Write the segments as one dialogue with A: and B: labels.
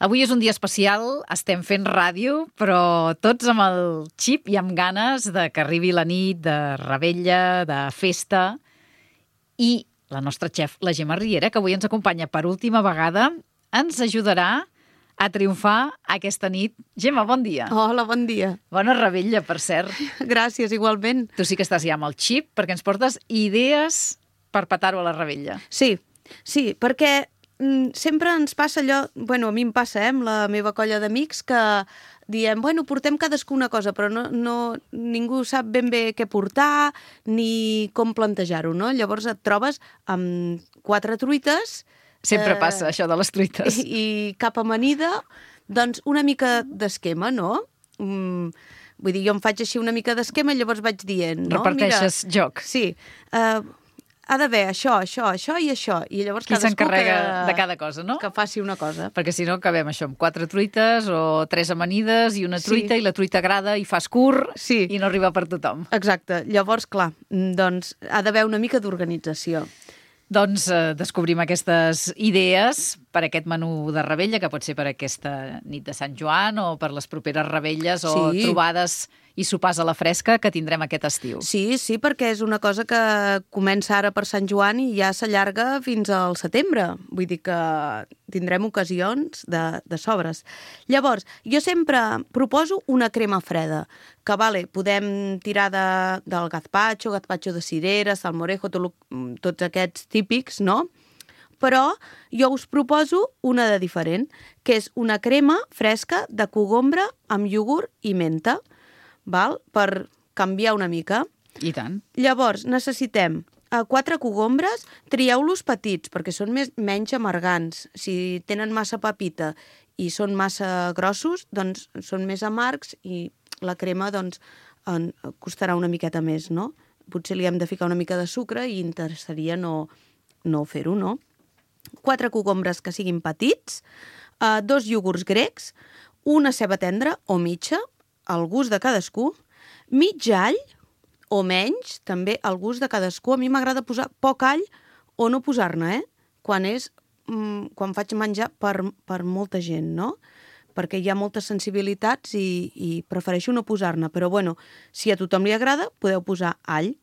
A: Avui és un dia especial, estem fent ràdio, però tots amb el xip i amb ganes de que arribi la nit de revetlla, de festa. I la nostra xef, la Gemma Riera, que avui ens acompanya per última vegada, ens ajudarà a triomfar aquesta nit. Gemma, bon dia.
B: Hola, bon dia.
A: Bona revetlla, per cert.
B: Gràcies, igualment.
A: Tu sí que estàs ja amb el xip, perquè ens portes idees per petar-ho a la revetlla.
B: Sí, perquè sempre ens passa allò, a mi em passa, amb la meva colla d'amics, que diem, portem cadascú una cosa, però ningú sap ben bé què portar ni com plantejar-ho, no? Llavors et trobes amb 4 truites.
A: Sempre passa això de les truites.
B: I cap amanida, doncs una mica d'esquema, no? Vull dir, jo em faig així una mica d'esquema i llavors vaig dient, no?
A: Reparteixes joc.
B: Sí, ha d'haver això i això. I llavors
A: qui s'encarrega de cada cosa, no?
B: Que faci una cosa.
A: Perquè si no acabem això amb 4 truites o 3 amanides i una truita, i la truita agrada i fas curt i no arriba per tothom.
B: Exacte. Llavors, clar, doncs ha d'haver una mica d'organització.
A: Doncs descobrim aquestes idees per aquest menú de revetlla, que pot ser per aquesta nit de Sant Joan o per les properes revetlles o trobades i sopars a la fresca que tindrem aquest estiu.
B: Sí, perquè és una cosa que comença ara per Sant Joan i ja s'allarga fins al setembre. Vull dir que tindrem ocasions de sobres. Llavors, jo sempre proposo una crema freda, que podem tirar del gazpacho de cireres, salmorejo, tots aquests típics, no? Però jo us proposo una de diferent, que és una crema fresca de cogombre amb iogurt i menta, per canviar una mica.
A: I tant.
B: Llavors, necessitem 4 cogombres, trieu-los petits, perquè són menys amargants. Si tenen massa pepita i són massa grossos, doncs són més amargs i la crema doncs, costarà una miqueta més, no? Potser li hem de ficar una mica de sucre i interessaria no fer-ho, no? 4 cogombres que siguin petits, 2 iogurts grecs, una ceba tendra o mitja, al gust de cadascú, mig all o menys, també al gust de cadascú. A mi m'agrada posar poc all o no posar-ne, quan faig menjar per molta gent, no? Perquè hi ha moltes sensibilitats i prefereixo no posar-ne. Però, si a tothom li agrada, podeu posar all.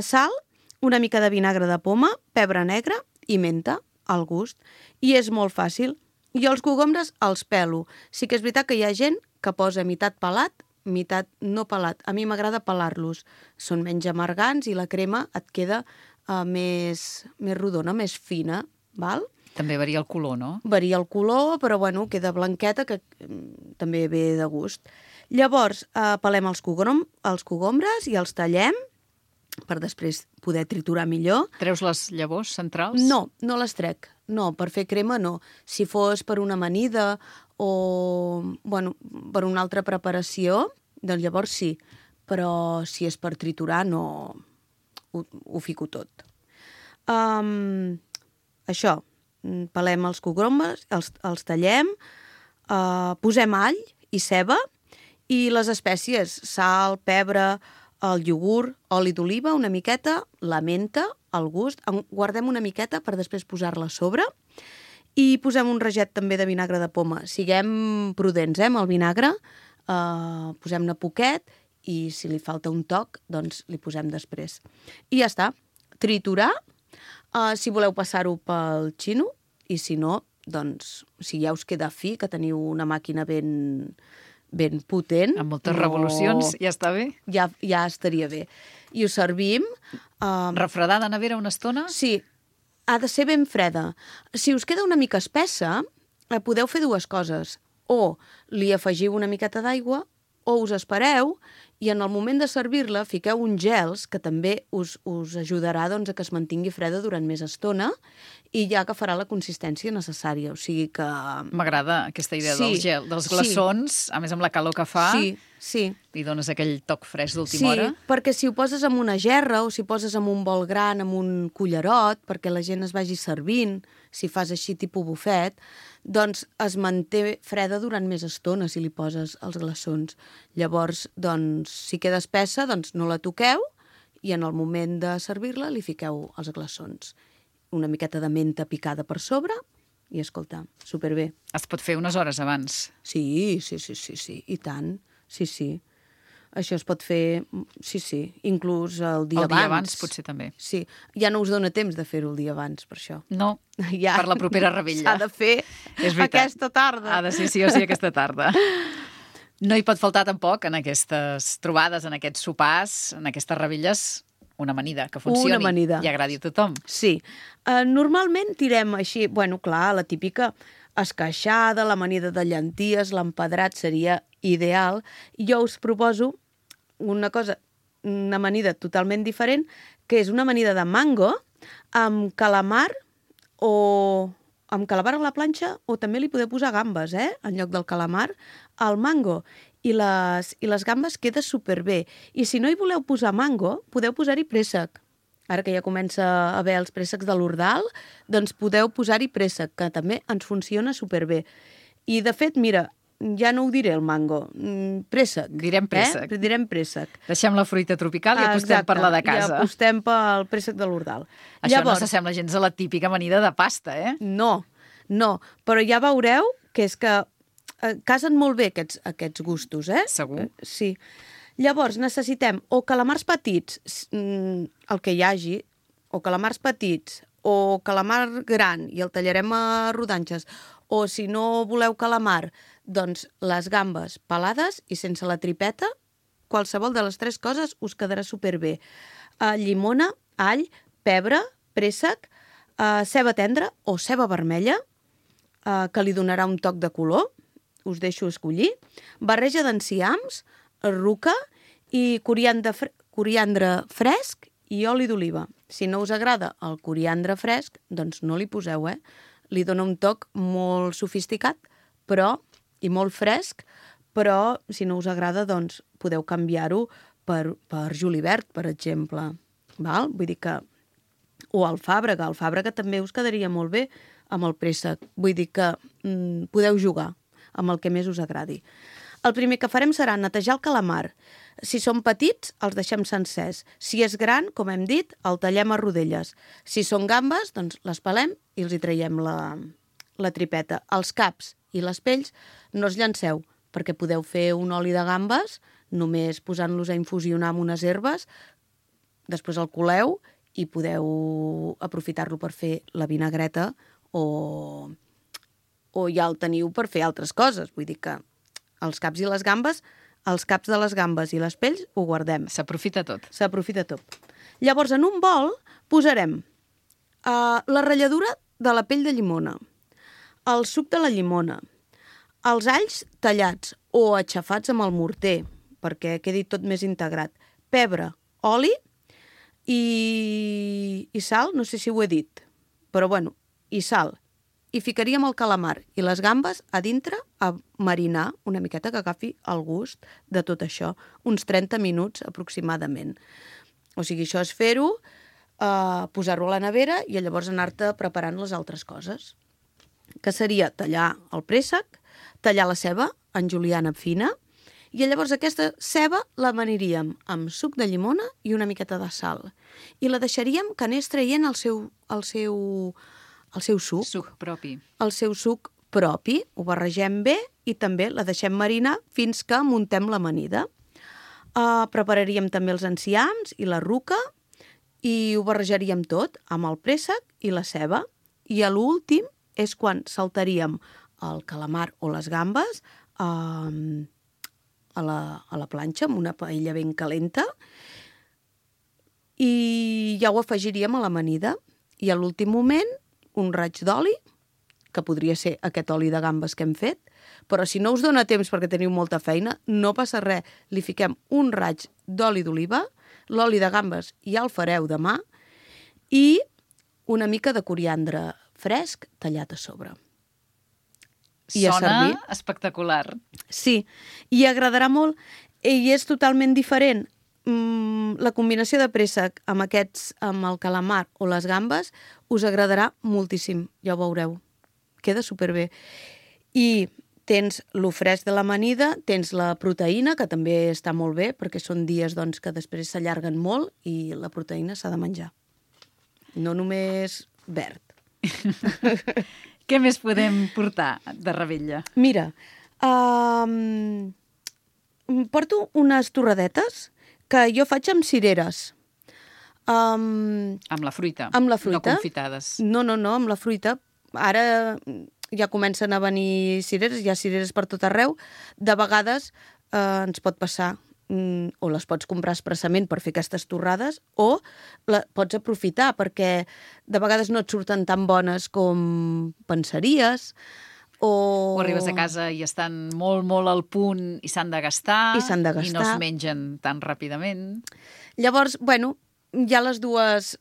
B: Sal, una mica de vinagre de poma, pebre negre i menta, al gust. I és molt fàcil. Jo els cogombres els pelo. Sí que és veritat que hi ha gent que posa meitat pelat, meitat no pelat. A mi m'agrada pelar-los. Són menys amargants i la crema et queda més rodona, més fina, val?
A: També varia el color, no?
B: Varia el color, però queda blanqueta, que també ve de gust. Llavors, pelem els cogombres i els tallem per després poder triturar millor.
A: Treus les llavors centrals?
B: No les trec. No, per fer crema no. Si fos per una amanida o per una altra preparació, doncs llavors sí. Però si és per triturar, no ho fico tot. Això, pelem els cogombres, els tallem, posem all i ceba i les espècies, sal, pebre, el iogurt, oli d'oliva, una miqueta, la menta, al gust. Guardem una miqueta per després posar-la a sobre i posem un raget també de vinagre de poma. Siguem prudents, amb el vinagre, posem-ne poquet i si li falta un toc, doncs li posem després. I ja està. Triturar, si voleu passar-ho pel xino, i si no, doncs, si ja us queda fi, que teniu una màquina ben potent.
A: Amb moltes revolucions, ja està bé?
B: Ja estaria bé. I ho servim.
A: Refredar de nevera una estona?
B: Sí, ha de ser ben freda. Si us queda una mica espessa, podeu fer 2 coses. O li afegiu una miqueta d'aigua, o us espereu i en el moment de servir-la fiqueu uns gels que també us ajudarà a que es mantingui freda durant més estona i ja agafarà la consistència necessària. O sigui que...
A: M'agrada aquesta idea dels glaçons, a més amb la calor que fa.
B: Sí.
A: Li dones aquell toc fresc d'última hora.
B: Sí, perquè si ho poses en una gerra o si poses en un bol gran, amb un cullerot, perquè la gent es vagi servint, si fas així tipus bufet, doncs es manté freda durant més estona si li poses els glaçons. Llavors, doncs, si queda espessa, doncs no la toqueu i en el moment de servir-la li fiqueu els glaçons. Una miqueta de menta picada per sobre I escolta, superbé.
A: Es pot fer unes hores abans.
B: Sí, i tant. Sí. Això es pot fer, sí, inclús el dia abans.
A: El dia abans potser també.
B: Sí, ja no us dona temps de fer-ho el dia abans, per això.
A: No,
B: ja,
A: per la propera revetlla.
B: S'ha de fer aquesta tarda.
A: Ha de ser sí o sí aquesta tarda. No hi pot faltar tampoc en aquestes trobades, en aquests sopars, en aquestes revetlles, una amanida que funcioni i agradi a tothom.
B: Sí. Normalment tirem així, bueno, clar, la típica esqueixada, l'amanida de llenties, l'empedrat seria ideal. Jo us proposo una amanida totalment diferent, que és una amanida de mango amb calamar a la planxa, o també li podeu posar gambes, en lloc del calamar, al mango. I les gambes queda superbé. I si no hi voleu posar mango, podeu posar-hi préssec. Ara que ja comença a haver els préssecs de l'Ordal, doncs podeu posar-hi préssec, que també ens funciona superbé. I, de fet, mira, ja no ho diré, el mango. Préssec.
A: Direm préssec.
B: Direm préssec.
A: Deixem la fruita tropical i apostem per la de casa.
B: I apostem pel préssec de l'Ordal.
A: Això no s'assembla gens a la típica amanida de pasta,
B: No, però ja veureu que és que casen molt bé aquests gustos,
A: Segur.
B: Sí. Llavors necessitem o calamars petits, el que hi hagi, o calamars petits, o calamar gran, i el tallarem a rodanxes, o si no voleu calamar, doncs les gambes pelades i sense la tripeta, qualsevol de les tres coses us quedarà superbé. Llimona, all, pebre, préssec, ceba tendra o ceba vermella, que li donarà un toc de color, us deixo escollir, barreja d'enciams, ruca i coriandre fresc i oli d'oliva. Si no us agrada el coriandre fresc, doncs no li poseu, Li dona un toc molt sofisticat i molt fresc, però si no us agrada, doncs podeu canviar-ho per julivert, per exemple. Val? Vull dir que... O alfàbrega. Alfàbrega també us quedaria molt bé amb el préssec. Vull dir que podeu jugar amb el que més us agradi. El primer que farem serà netejar el calamar. Si són petits, els deixem sencers. Si és gran, com hem dit, el tallem a rodelles. Si són gambes, doncs les pelem i els hi traiem la tripeta. Els caps i les pells no els llanceu, perquè podeu fer un oli de gambes només posant-los a infusionar amb unes herbes, després el coleu i podeu aprofitar-lo per fer la vinagreta o ja el teniu per fer altres coses. Vull dir que els caps i les gambes, els caps de les gambes i les pells ho guardem.
A: S'aprofita tot.
B: S'aprofita tot. Llavors, en un bol posarem la ratlladura de la pell de llimona, el suc de la llimona, els alls tallats o aixafats amb el morter, perquè quedi tot més integrat, pebre, oli i sal, no sé si ho he dit, però bueno, i sal. I ficaríem el calamar i les gambes a dintre a marinar una miqueta, que agafi el gust de tot això, uns 30 minuts aproximadament. O sigui, això és fer-ho, posar-ho a la nevera i llavors anar-te preparant les altres coses, que seria tallar el préssec, tallar la ceba en juliana fina, i llavors aquesta ceba l'amaniríem amb suc de llimona i una miqueta de sal. I la deixaríem que anés traient el seu suc.
A: Suc propi.
B: El seu suc propi, ho barregem bé i també la deixem marinar fins que muntem l'amanida. Prepararíem també els enciams i la ruca i ho barrejaríem tot amb el préssec i la ceba. I a l'últim és quan saltaríem el calamar o les gambes a la planxa amb una paella ben calenta i ja ho afegiríem a l'amanida. I a l'últim moment un raig d'oli, que podria ser aquest oli de gambes que hem fet, però si no us dona temps perquè teniu molta feina, no passa res, li fiquem un raig d'oli d'oliva, l'oli de gambes ja el fareu demà, i una mica de coriandre fresc tallat a sobre.
A: Sona espectacular.
B: Sí, i agradarà molt, i és totalment diferent. La combinació de préssec amb el calamar o les gambes us agradarà moltíssim, ja ho veureu. Queda superbé. I tens lo fresc de l'amanida, tens la proteïna, que també està molt bé, perquè són dies que després s'allarguen molt i la proteïna s'ha de menjar. No només verd.
A: Què més podem portar de Ravella?
B: Mira, porto unes torradetes que jo faig amb cireres.
A: Amb la fruita?
B: Amb la fruita.
A: No confitades?
B: No, amb la fruita. Ara ja comencen a venir cireres, hi ha cireres per tot arreu. De vegades ens pot passar, o les pots comprar expressament per fer aquestes torrades, o pots aprofitar, perquè de vegades no et surten tan bones com pensaries, o
A: arribes a casa i estan molt, molt al punt i s'han de gastar.
B: I s'han de gastar.
A: I no es mengen tan ràpidament.
B: Llavors, bueno, hi ha les dues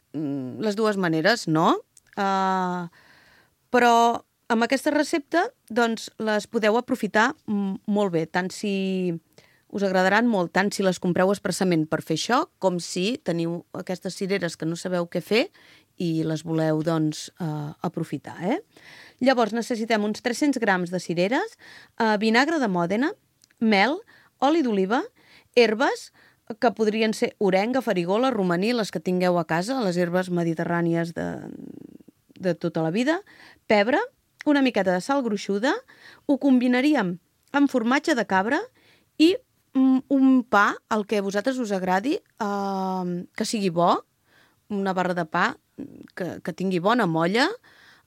B: maneres, no? Però amb aquesta recepta, doncs, les podeu aprofitar molt bé, tant si us agradaran molt, tant si les compreu expressament per fer això, com si teniu aquestes cireres que no sabeu què fer i les voleu, doncs, aprofitar, Llavors, necessitem uns 300 grams de cireres, vinagre de Mòdena, mel, oli d'oliva, herbes, que podrien ser orenga, farigola, romaní, les que tingueu a casa, les herbes mediterrànies de tota la vida, pebre, una miqueta de sal gruixuda, ho combinaríem amb formatge de cabra i un pa, el que a vosaltres us agradi, que sigui bo, una barra de pa que tingui bona molla,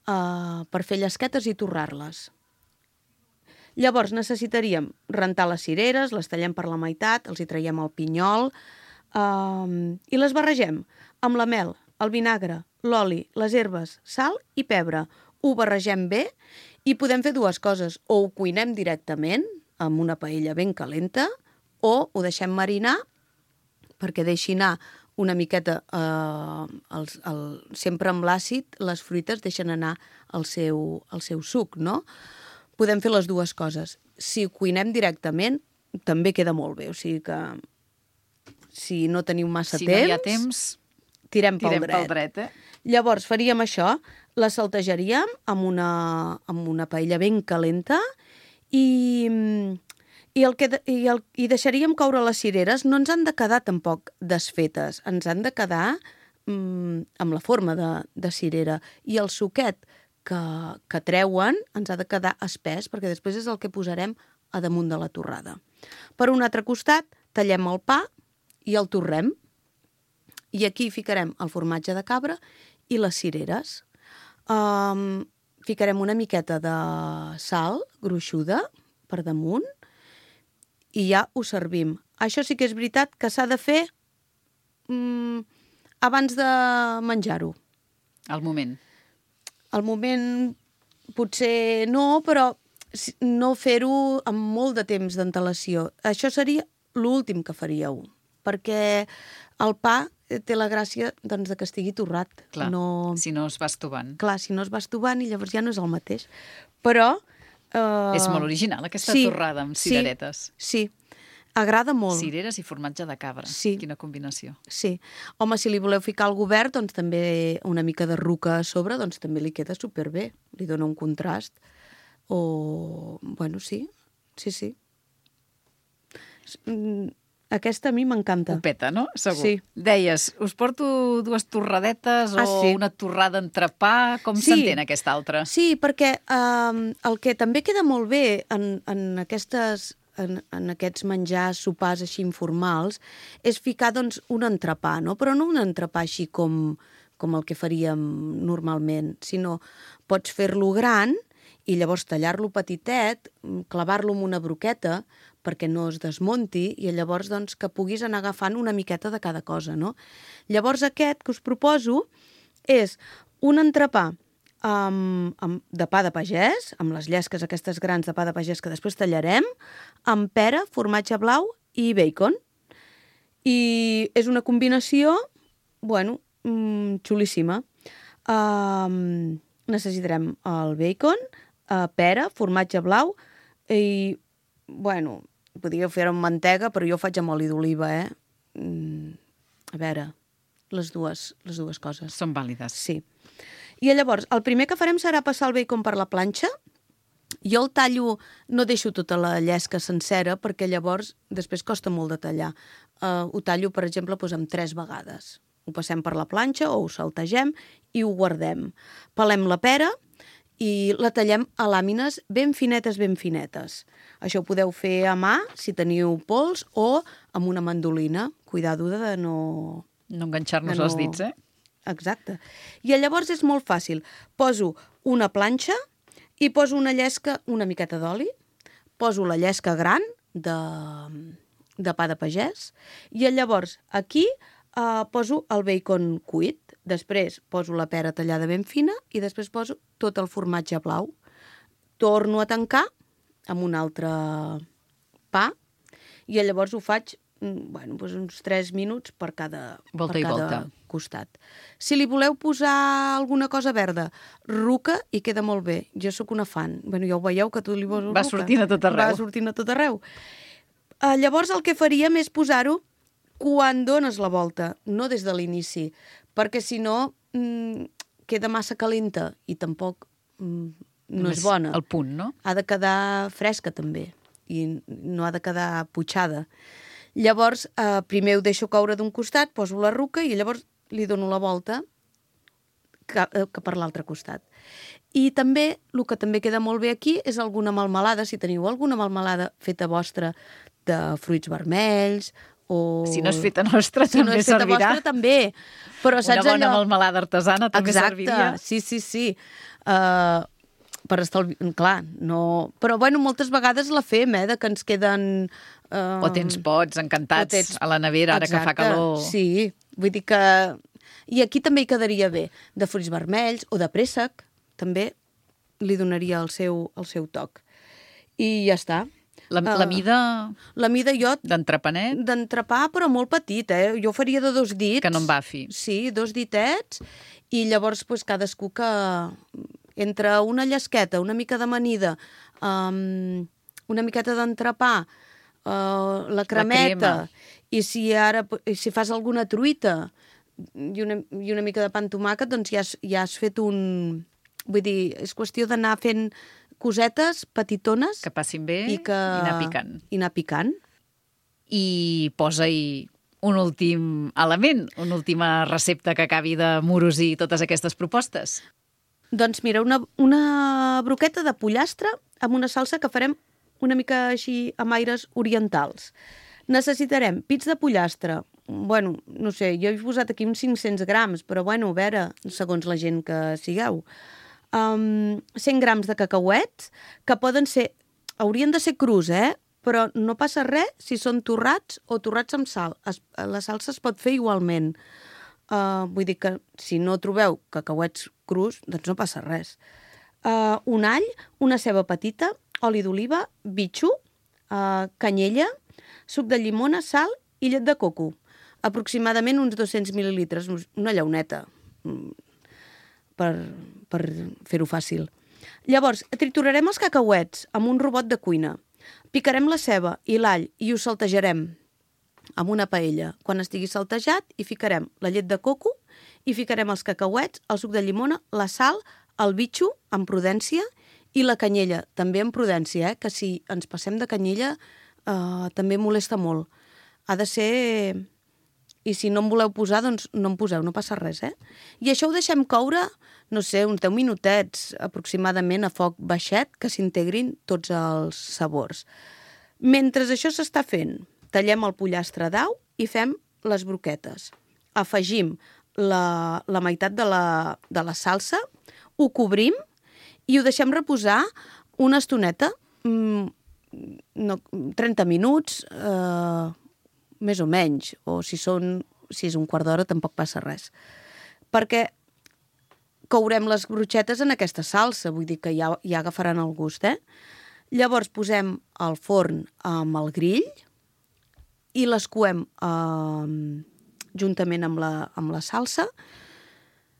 B: per fer llesquetes i torrar-les. Llavors necessitaríem rentar les cireres, les tallem per la meitat, els hi traiem el pinyol i les barregem amb la mel, el vinagre, l'oli, les herbes, sal i pebre. Ho barregem bé i podem fer dues coses. O ho cuinem directament amb una paella ben calenta o ho deixem marinar perquè deixi anar una miqueta, sempre amb l'àcid, les fruites deixen anar el seu suc, no? Podem fer les dues coses. Si ho cuinem directament, també queda molt bé. O sigui que si no teniu massa temps...
A: Si no hi ha temps,
B: tirem pel
A: dret.
B: Llavors faríem això, la saltejaríem amb una paella ben calenta i deixaríem coure les cireres. No ens han de quedar tampoc desfetes, ens han de quedar amb la forma de cirera. I el suquet que treuen ens ha de quedar espès, perquè després és el que posarem a damunt de la torrada. Per un altre costat, tallem el pa i el torrem. I aquí ficarem el formatge de cabra i les cireres. Ficarem una miqueta de sal gruixuda per damunt i ja ho servim. Això sí que és veritat que s'ha de fer abans de menjar-ho.
A: Al moment.
B: Al moment potser no, però no fer-ho amb molt de temps d'antelació. Això seria l'últim que faríeu, perquè el pa té la gràcia doncs, de que estigui torrat.
A: Clar, si no es va estovant.
B: Clar, si no es va estovant i llavors ja no és el mateix. Però...
A: És molt original, aquesta torrada amb cireretes.
B: Sí, agrada molt.
A: Cireres i formatge de cabra.
B: Sí.
A: Quina combinació.
B: Sí. Home, si li voleu ficar al govern, doncs també una mica de ruca a sobre, doncs també li queda superbé. Li dona un contrast. O... Bueno, sí. Aquesta a mi m'encanta.
A: Ho peta, no? Segur.
B: Sí.
A: Deies, us porto dues torradetes una torrada entrepà. Com s'entén aquesta altra?
B: Sí, perquè el que també queda molt bé en aquests menjars, sopars així informals, és ficar doncs, un entrepà, no? Però no un entrepà així com el que faríem normalment, sinó pots fer-lo gran i llavors tallar-lo petitet, clavar-lo amb una broqueta perquè no es desmunti i llavors doncs, que puguis anar agafant una miqueta de cada cosa, no? Llavors aquest que us proposo és un entrepà de pa de pagès, amb les llesques aquestes grans de pa de pagès que després tallarem, amb pera, formatge blau i bacon. I és una combinació, bueno, xulíssima. Necessitarem el bacon, pera, formatge blau i, bueno, podríeu fer-ho amb mantega, però jo ho faig amb oli d'oliva, A veure, les dues coses.
A: Són vàlides.
B: Sí. I llavors, el primer que farem serà passar el bacon per la planxa. Jo el tallo, no deixo tota la llesca sencera, perquè llavors després costa molt de tallar. Ho tallo, per exemple, amb 3 vegades. Ho passem per la planxa o ho saltegem i ho guardem. Pelem la pera i la tallem a làmines ben finetes, ben finetes. Això ho podeu fer a mà, si teniu pols, o amb una mandolina. Cuidado de no...
A: No enganxar-nos els dits, eh?
B: Exacte. I llavors és molt fàcil. Poso una planxa i poso una llesca, una miqueta d'oli, poso la llesca gran de pa de pagès i llavors aquí poso el bacon cuit, després poso la pera tallada ben fina i després poso tot el formatge blau. Torno a tancar amb un altre pa i llavors ho faig uns 3 minuts per cada costat. Si li voleu posar alguna cosa verda, ruca i queda molt bé. Jo sóc una fan. Ja ho veieu que tu li poses ruca.
A: Va sortint a tot arreu.
B: Va sortint a tot arreu. Llavors el que faríem és posar-ho quan dones la volta, no des de l'inici, perquè si no queda massa calenta i tampoc no és bona.
A: El punt, no?
B: Ha de quedar fresca també i no ha de quedar putxada. Llavors, primer ho deixo coure d'un costat, poso la ruca i llavors li dono la volta que per l'altre costat. I també, el que també queda molt bé aquí és alguna melmelada, si teniu alguna melmelada feta vostra de fruits vermells o...
A: Si no és feta nostra, també servirà. Si no és feta vostra,
B: també. Però, saps,
A: una bona melmelada artesana també serviria.
B: Exacte, sí. Per estalviar... Clar, no... Però, moltes vegades la fem, de que ens queden...
A: O tens pots encantats a la nevera, ara que fa calor.
B: Sí, vull dir que... I aquí també hi quedaria bé, de fruits vermells o de préssec, també li donaria el seu toc. I ja està.
A: La mida...
B: La mida jo...
A: D'entrepanet?
B: D'entrepà, però molt petit, Jo faria de 2 dits.
A: Que no em bafi.
B: Sí, 2 ditets, i llavors cadascú que... Entre una llesqueta, una mica d'amanida, una miqueta d'entrepà, la cremeta, i si fas alguna truita i una mica de pa amb tomàquet, doncs ja has fet un... Vull dir, és qüestió d'anar fent cosetes petitones...
A: Que passin bé i anar picant.
B: I anar picant.
A: I posa-hi un últim element, una última recepta que acabi de morosir totes aquestes propostes.
B: Doncs mira, una broqueta de pollastre amb una salsa que farem una mica així amb aires orientals. Necessitarem pits de pollastre, no sé, jo he posat aquí uns 500 grams, però a veure, segons la gent que sigueu. 100 grams de cacauets, que haurien de ser crus, però no passa res si són torrats o torrats amb sal. La salsa es pot fer igualment. Vull dir que si no trobeu cacauets crus, doncs no passa res. Un all, una ceba petita, oli d'oliva, bitxo, canyella, suc de llimona, sal i llet de coco. Aproximadament uns 200 mil·lilitres, una llauneta, per fer-ho fàcil. Llavors, triturarem els cacauets amb un robot de cuina. Picarem la ceba i l'all i ho saltejarem amb una paella. Quan estigui saltejat, hi ficarem la llet de coco, hi ficarem els cacauets, el suc de llimona, la sal, el bitxo, amb prudència, i la canyella, també amb prudència, que si ens passem de canyella també molesta molt. Ha de ser... I si no en voleu posar, doncs no en poseu, no passa res, I això ho deixem coure, no sé, uns 10 minutets aproximadament a foc baixet, que s'integrin tots els sabors. Mentre això s'està fent, tallem el pollastre d'au i fem les broquetes. Afegim la meitat de la salsa, ho cobrim i ho deixem reposar una estoneta, 30 minuts, més o menys, o si és un quart d'hora tampoc passa res. Perquè courem les brochetes en aquesta salsa, vull dir que ja agafaran el gust, Llavors posem al forn amb el grill i les coem juntament amb la salsa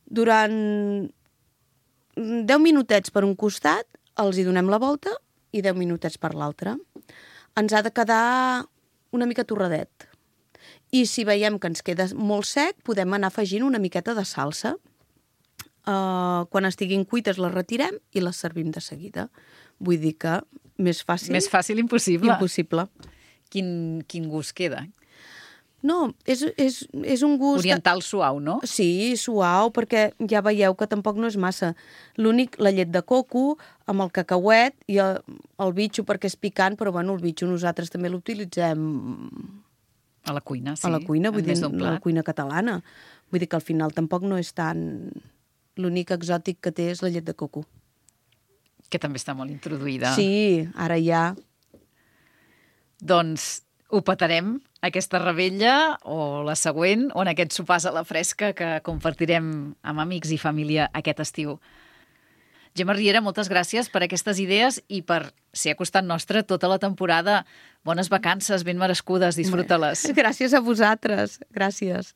B: durant 10 minutets per un costat, els hi donem la volta i 10 minutets per l'altre. Ens ha de quedar una mica torradet. I si veiem que ens queda molt sec, podem anar afegint una miqueta de salsa. Quan estiguin cuites les retirem i les servim de seguida. Vull dir que més fàcil...
A: Més fàcil impossible.
B: Impossible.
A: Quin gust queda?
B: No, és un gust...
A: Oriental suau, no?
B: Sí, suau, perquè ja veieu que tampoc no és massa. L'únic, la llet de coco, amb el cacauet i el bitxo perquè és picant, però bueno, el bitxo nosaltres també l'utilitzem
A: A la cuina, sí.
B: a la cuina, vull
A: en
B: dir,
A: més d'un
B: a la
A: plat.
B: cuina catalana. Vull dir que al final tampoc no és tan... L'únic exòtic que té és la llet de coco.
A: Que també està molt introduïda.
B: Sí, ara ja...
A: Doncs ho petarem, aquesta rebella o la següent, o en aquests sopars a la fresca que compartirem amb amics i família aquest estiu. Gemma Riera, moltes gràcies per aquestes idees i per ser a costat nostre tota la temporada. Bones vacances, ben merescudes, disfruta-les.
B: Gràcies a vosaltres, gràcies.